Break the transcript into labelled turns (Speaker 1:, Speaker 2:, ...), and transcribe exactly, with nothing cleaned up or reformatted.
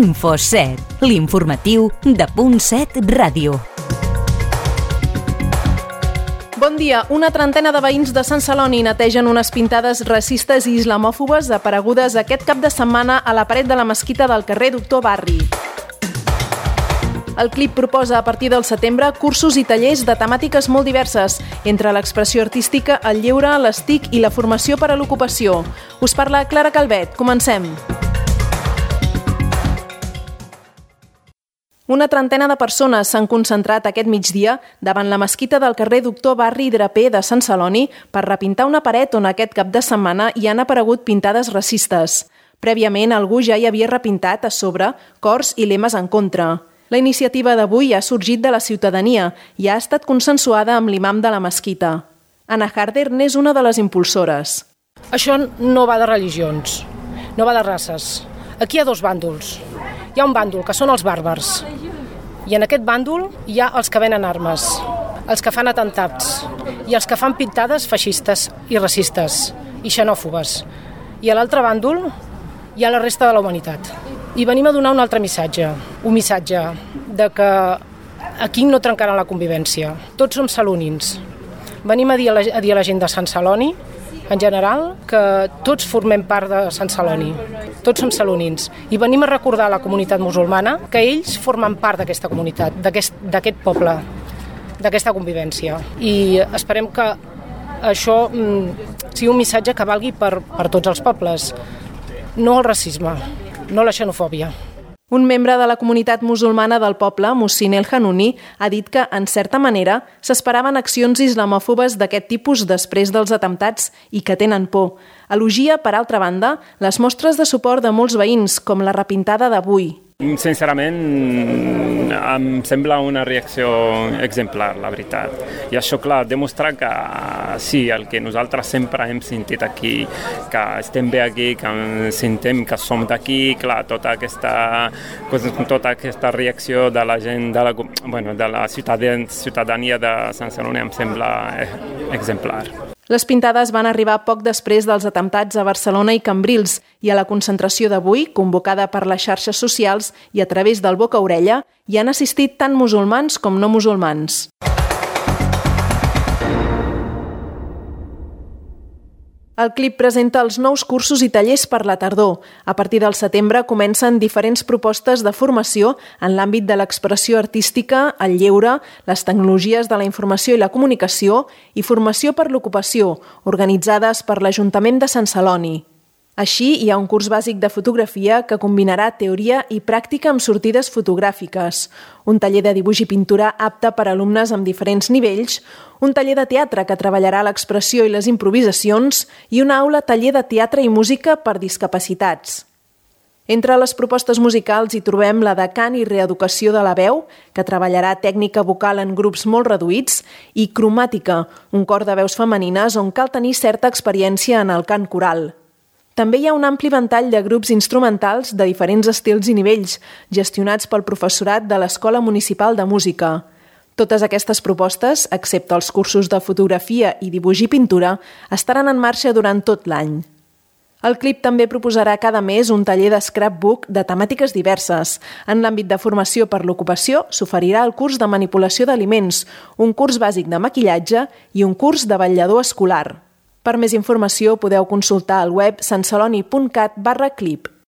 Speaker 1: Info set, l'informatiu de Punt set Ràdio.
Speaker 2: Bon dia. Una trentena de veïns de Sant Celoni netegen unes pintades racistes i islamòfobes aparegudes aquest cap de setmana a la paret de la mesquita del carrer Doctor Barri. El CLIP proposa a partir del setembre cursos i tallers de temàtiques molt diverses, entre l'expressió artística, el lleure, les T I C i la formació per a l'ocupació. Us parla Clara Calvet. Comencem. Una trentena de persones s'han concentrat aquest migdia davant la mesquita del carrer Doctor Barri i Draper de Sant Celoni per repintar una paret on aquest cap de setmana hi han aparegut pintades racistes. Prèviament, algú ja hi havia repintat a sobre cors i lemes en contra. La iniciativa d'avui ha sorgit de la ciutadania i ha estat consensuada amb l'imam de la mesquita. Anna Harder n'és una de les impulsores.
Speaker 3: Això no va de religions, no va de races. Aquí hi ha dos bàndols. Hi ha un bàndol, que són els bàrbars, i en aquest bàndol hi ha els que venen armes, els que fan atemptats, i els que fan pintades feixistes i racistes, i xenòfobes. I a l'altre bàndol hi ha la resta de la humanitat. I venim a donar un altre missatge, un missatge de que aquí no trencaran la convivència. Tots som salonins. Venim a dir a la, a dir a la gent de Sant Celoni, en general, que tots formem part de Sant Celoni. Tots som salonins. I venim a recordar a la comunitat musulmana que ells formen part d'aquesta comunitat, d'aquest, d'aquest poble, d'aquesta convivència. I esperem que això mm, sigui un missatge que valgui per, per tots els pobles. No el racisme, no la xenofòbia.
Speaker 2: Un membre de la comunitat musulmana del poble, Muhsin El Hanouni, ha dit que, en certa manera, s'esperaven accions islamòfobes d'aquest tipus després dels atemptats i que tenen por. Elogia, per altra banda, les mostres de suport de molts veïns, com la repintada d'avui.
Speaker 4: Sincerament, em sembla una reacció exemplar, la veritat. I això, clar, demostra que sí, el que nosaltres sempre hem sentit aquí, que estem bé aquí, que sentem que som d'aquí, clar, tota aquesta, tota aquesta reacció de la gent, de la, bueno, de la ciutadania de Sant Celoni em sembla exemplar.
Speaker 2: Les pintades van arribar poc després dels atemptats a Barcelona i Cambrils i a la concentració d'avui, convocada per les xarxes socials i a través del boca a orella, hi han assistit tant musulmans com no musulmans. El CLIP presenta els nous cursos i tallers per la tardor. A partir del setembre comencen diferents propostes de formació en l'àmbit de l'expressió artística, el lleure, les tecnologies de la informació i la comunicació i formació per l'ocupació, organitzades per l'Ajuntament de Sant Celoni. Així, hi ha un curs bàsic de fotografia que combinarà teoria i pràctica amb sortides fotogràfiques, un taller de dibuix i pintura apte per a alumnes amb diferents nivells, un taller de teatre que treballarà l'expressió i les improvisacions i una aula taller de teatre i música per discapacitats. Entre les propostes musicals hi trobem la de cant i reeducació de la veu, que treballarà tècnica vocal en grups molt reduïts, i cromàtica, un cor de veus femenines on cal tenir certa experiència en el cant coral. També hi ha un ampli ventall de grups instrumentals de diferents estils i nivells, gestionats pel professorat de l'Escola Municipal de Música. Totes aquestes propostes, excepte els cursos de fotografia i dibuix i pintura, estaran en marxa durant tot l'any. El CLIP també proposarà cada mes un taller de scrapbook de temàtiques diverses. En l'àmbit de formació per l'ocupació s'oferirà el curs de manipulació d'aliments, un curs bàsic de maquillatge i un curs de vetllador escolar. Per més informació podeu consultar al web santceloni punt cat barra clip.